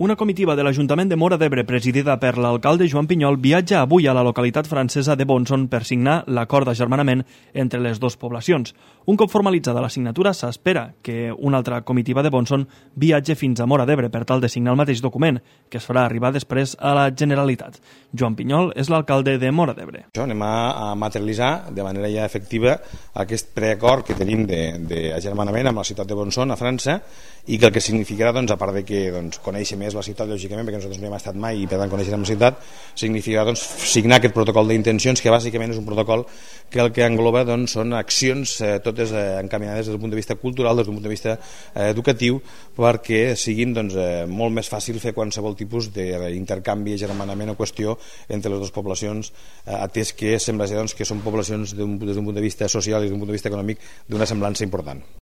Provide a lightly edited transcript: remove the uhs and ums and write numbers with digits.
Una comitiva de l'Ajuntament de Móra d'Ebre, presidida per l'alcalde Joan Pinyol, viatja avui a la localitat francesa de Bonson per signar l'acord d'agermanament entre les dues poblacions. Un cop formalitzada la signatura, s'espera que una altra comitiva de Bonson viatge fins a Móra d'Ebre per tal de signar el mateix document, que es farà arribar després a la Generalitat. Joan Pinyol és l'alcalde de Móra d'Ebre. Anem a materialitzar de manera ja efectiva aquest preacord que tenim d'agermanament amb la ciutat de Bonson, a França, i que el que significarà, a part de que conèixer més la ciutat, lògicament, perquè nosaltres no hi hem estat mai i per tant coneixerem la ciutat, significarà signar aquest protocol d'intencions, que bàsicament és un protocol que el que engloba són accions totes encaminades des del punt de vista cultural, des del punt de vista educatiu, perquè siguin molt més fàcil fer qualsevol tipus d'intercanvi, agermanament o qüestió entre les dues poblacions, atès que sembla ser que són poblacions des d'un punt de vista social i des d'un punt de vista econòmic d'una semblança important.